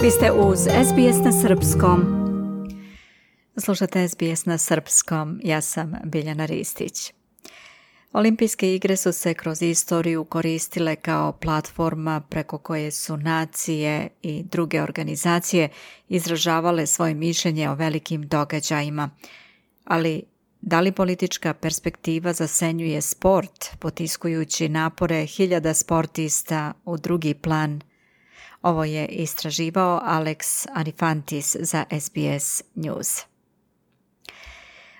Vi ste uz SBS na srpskom. Slušate SBS na srpskom, ja sam Biljana Ristić. Olimpijske igre su se kroz istoriju koristile kao platforma preko koje su nacije i druge organizacije izražavale svoje mišljenje o velikim događajima. Ali da li politička perspektiva zasenjuje sport, potiskujući napore hiljada sportista u drugi plan? Ovo je istraživao Alex Anifantis za SBS News.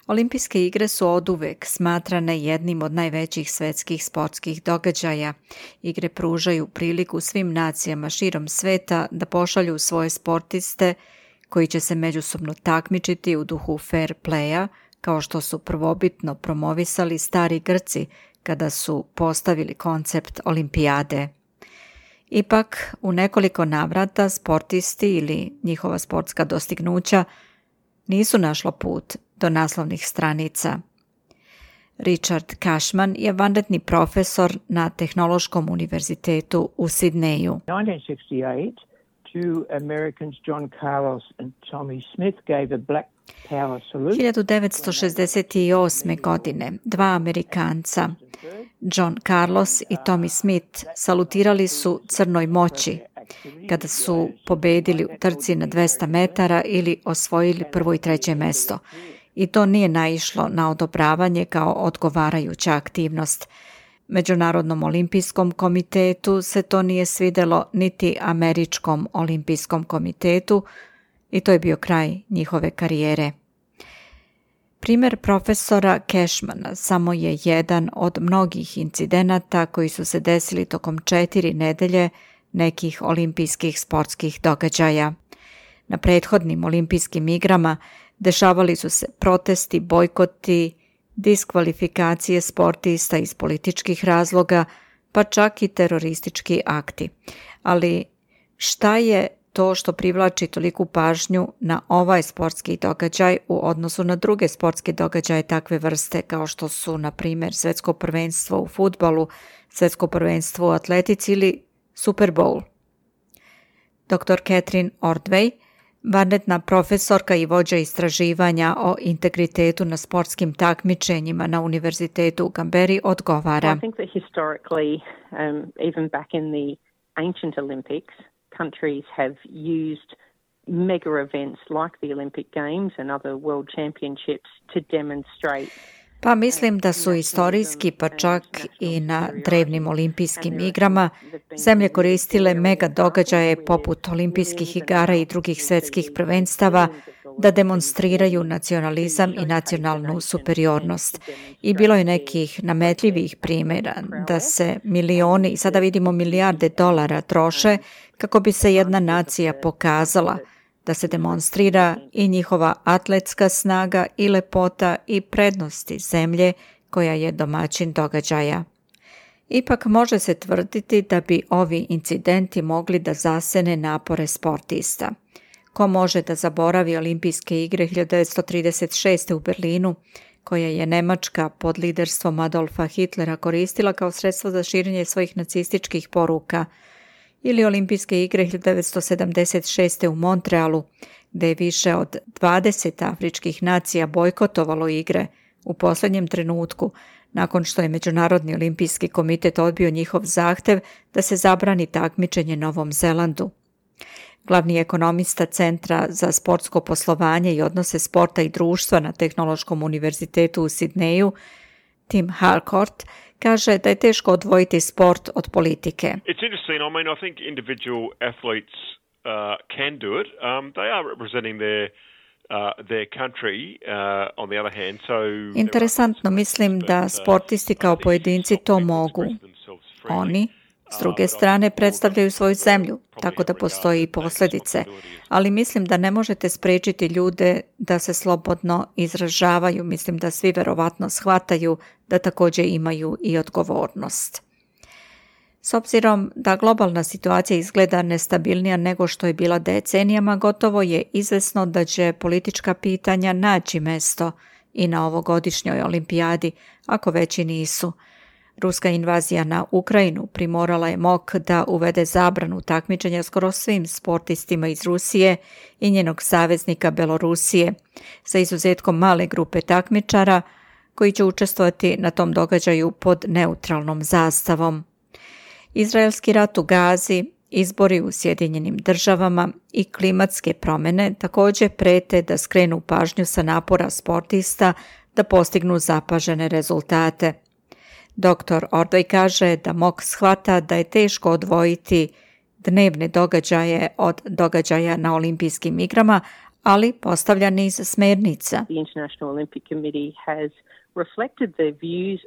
Olimpijske igre su oduvek smatrane jednim od najvećih svetskih sportskih događaja. Igre pružaju priliku svim nacijama širom sveta da pošalju svoje sportiste koji će se međusobno takmičiti u duhu fair playa, kao što su prvobitno promovisali stari Grci kada su postavili koncept olimpijade. Ipak, u nekoliko navrata sportisti ili njihova sportska dostignuća nisu našla put do naslovnih stranica. Richard Cashman je vanredni profesor na Tehnološkom univerzitetu u Sidneju. 1968, two Americans, John Carlos and Tommy Smith, gave a black power salute. 1968. godine dva Amerikanca, John Carlos i Tommy Smith, salutirali su crnoj moći kada su pobedili u trci na 200 metara ili osvojili prvo i treće mesto. I to nije naišlo na odobravanje kao odgovarajuća aktivnost. Međunarodnom olimpijskom komitetu se to nije svidelo niti Američkom olimpijskom komitetu i to je bio kraj njihove karijere. Primjer profesora Cashmana samo je jedan od mnogih incidenata koji su se desili tokom 4 nedelje nekih olimpijskih sportskih događaja. Na prethodnim olimpijskim igrama dešavali su se protesti, bojkoti, diskvalifikacije sportista iz političkih razloga, pa čak i teroristički akti. Ali šta je to što privlači toliku pažnju na ovaj sportski događaj u odnosu na druge sportske događaje takve vrste kao što su, na primjer, svjetsko prvenstvo u fudbalu, svjetsko prvenstvo u atletici ili Super Bowl? Dr. Catherine Ordway, vanredna profesorka i vođa istraživanja o integritetu na sportskim takmičenjima na Univerzitetu u Canberri, odgovara. I think that historically, even back in the ancient Olympics, countries have used mega events like the Olympic Games and other world championships to demonstrate. Pa mislim da su istorijski, pa čak i na drevnim olimpijskim igrama, zemlje koristile mega događaje poput olimpijskih igara i drugih svjetskih prvenstava da demonstriraju nacionalizam i nacionalnu superiornost. I bilo je nekih nametljivih primjera da se milioni, i sada vidimo milijarde dolara troše kako bi se jedna nacija pokazala, da se demonstrira i njihova atletska snaga i lepota i prednosti zemlje koja je domaćin događaja. Ipak može se tvrditi da bi ovi incidenti mogli da zasene napore sportista. Ko može da zaboravi olimpijske igre 1936. u Berlinu, koje je Nemačka pod liderstvom Adolfa Hitlera koristila kao sredstvo za širenje svojih nacističkih poruka, ili olimpijske igre 1976. u Montrealu, gdje je više od 20 afričkih nacija bojkotovalo igre u posljednjem trenutku, nakon što je Međunarodni olimpijski komitet odbio njihov zahtev da se zabrani takmičenje Novom Zelandu. Glavni ekonomista Centra za sportsko poslovanje i odnose sporta i društva na Tehnološkom univerzitetu u Sidneju, Tim Harcourt, kaže da je teško odvojiti sport od politike. It's interesting. I mean, I think individual athletes can do it. They are representing their country on the other hand. So Interesantno, mislim da sportisti kao pojedinci to mogu. Oni, s druge strane, predstavljaju svoju zemlju, tako da postoji i posljedice. Ali mislim da ne možete spriječiti ljude da se slobodno izražavaju. Mislim da svi verovatno shvataju da također imaju i odgovornost. S obzirom da globalna situacija izgleda nestabilnija nego što je bila decenijama, gotovo je izvesno da će politička pitanja naći mesto i na ovogodišnjoj olimpijadi, ako već i nisu. Ruska invazija na Ukrajinu primorala je MOK da uvede zabranu takmičenja skoro svim sportistima iz Rusije i njenog saveznika Belorusije, sa izuzetkom male grupe takmičara koji će učestvovati na tom događaju pod neutralnom zastavom. Izraelski rat u Gazi, izbori u Sjedinjenim Državama i klimatske promjene također prete da skrenu pažnju sa napora sportista da postignu zapažene rezultate. Dr. Ordoj kaže da MOK shvata da je teško odvojiti dnevne događaje od događaja na olimpijskim igrama, ali postavlja niz smjernica. The International Olympic Committee has reflected the views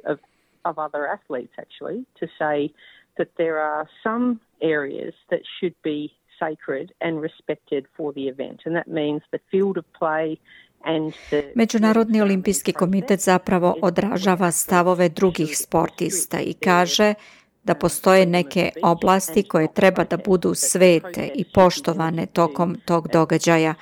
of other athletes actually to say that there are some areas that should be sacred and respected for the event, and that means the field of play. Međunarodni olimpijski komitet zapravo odražava stavove drugih sportista i kaže da postoje neke oblasti koje treba da budu svete i poštovane tokom tog događaja,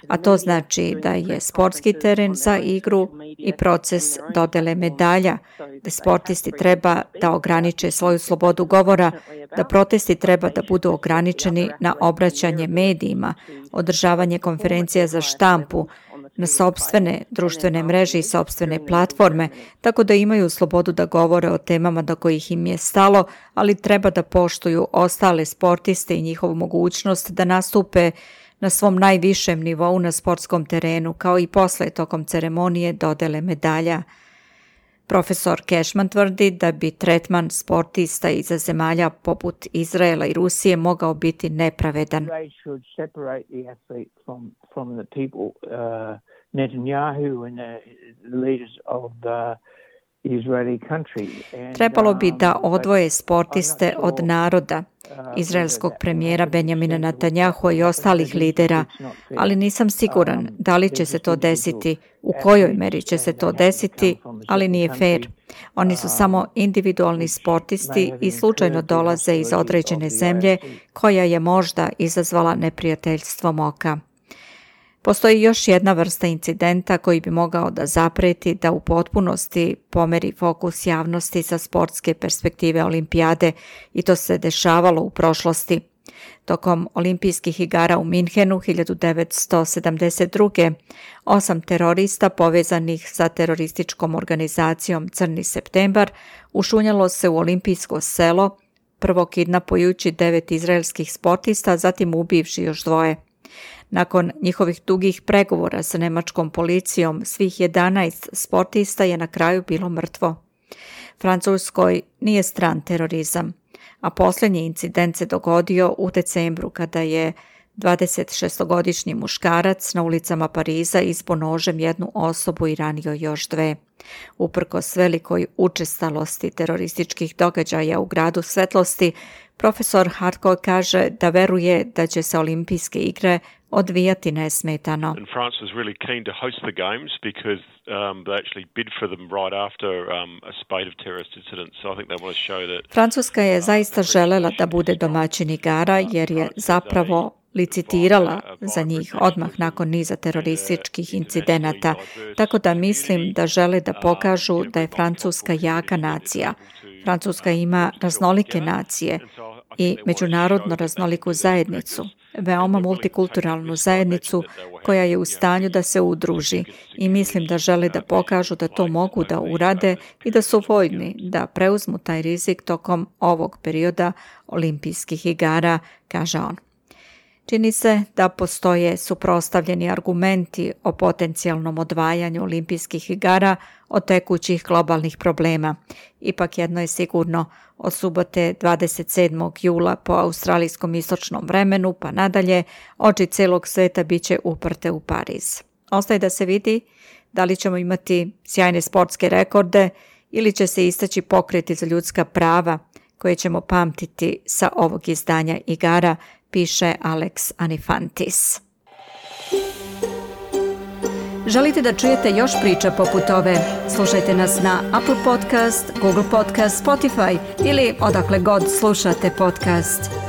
a to znači da je sportski teren za igru i proces dodele medalja, da sportisti treba da ograniče svoju slobodu govora, da protesti treba da budu ograničeni na obraćanje medijima, održavanje konferencija za štampu, na sopstvene društvene mreže i sopstvene platforme, tako da imaju slobodu da govore o temama do kojih im je stalo, ali treba da poštuju ostale sportiste i njihovu mogućnost da nastupe na svom najvišem nivou na sportskom terenu, kao i posle tokom ceremonije dodele medalja. Profesor Cashman tvrdi da bi tretman sportista iz zemalja poput Izraela i Rusije mogao biti nepravedan. Trebalo bi da odvoje sportiste od naroda, izraelskog premijera Benjamina Netanjahua i ostalih lidera, ali nisam siguran da li će se to desiti, u kojoj meri će se to desiti, ali nije fair. Oni su samo individualni sportisti i slučajno dolaze iz određene zemlje koja je možda izazvala neprijateljstvo MOK-a. Postoji još jedna vrsta incidenta koji bi mogao da zapreti da u potpunosti pomeri fokus javnosti sa sportske perspektive olimpijade i to se dešavalo u prošlosti. Tokom olimpijskih igara u Minhenu 1972. 8 terorista povezanih sa terorističkom organizacijom Crni septembar ušunjalo se u olimpijsko selo, prvo kidnapujući 9 izraelskih sportista, zatim ubivši još 2. Nakon njihovih dugih pregovora sa nemačkom policijom, svih 11 sportista je na kraju bilo mrtvo. Francuskoj nije stran terorizam, a posljednji incident se dogodio u decembru kada je 26-godišnji muškarac na ulicama Pariza izbo nožem jednu osobu i ranio još 2. Uprkos velikoj učestalosti terorističkih događaja u gradu svetlosti, profesor Hartko kaže da veruje da će se olimpijske igre odvijati nesmetano. And France was really keen to host the games because they actually bid for them right after a spate of terrorist incidents. So I think they want to show that. Francuska je zaista želela da bude domaćin igara jer je zapravo licitirala za njih odmah nakon niza terorističkih incidenata, tako da mislim da žele da pokažu da je Francuska jaka nacija. Francuska ima raznolike nacije i međunarodno raznoliku zajednicu, veoma multikulturalnu zajednicu koja je u stanju da se udruži i mislim da žele da pokažu da to mogu da urade i da su voljni da preuzmu taj rizik tokom ovog perioda olimpijskih igara, kaže on. Čini se da postoje suprotstavljeni argumenti o potencijalnom odvajanju olimpijskih igara od tekućih globalnih problema. Ipak jedno je sigurno, od subote 27. jula po australijskom istočnom vremenu pa nadalje, oči celog sveta bit će uprte u Pariz. Ostaje da se vidi da li ćemo imati sjajne sportske rekorde ili će se istaći pokreti za ljudska prava koje ćemo pamtiti sa ovog izdanja igara, piše Alex Anifantis. Želite da čujete još priča poput ove? Slušajte nas na Apple Podcast, Google Podcast, Spotify ili odakle god slušate podcast.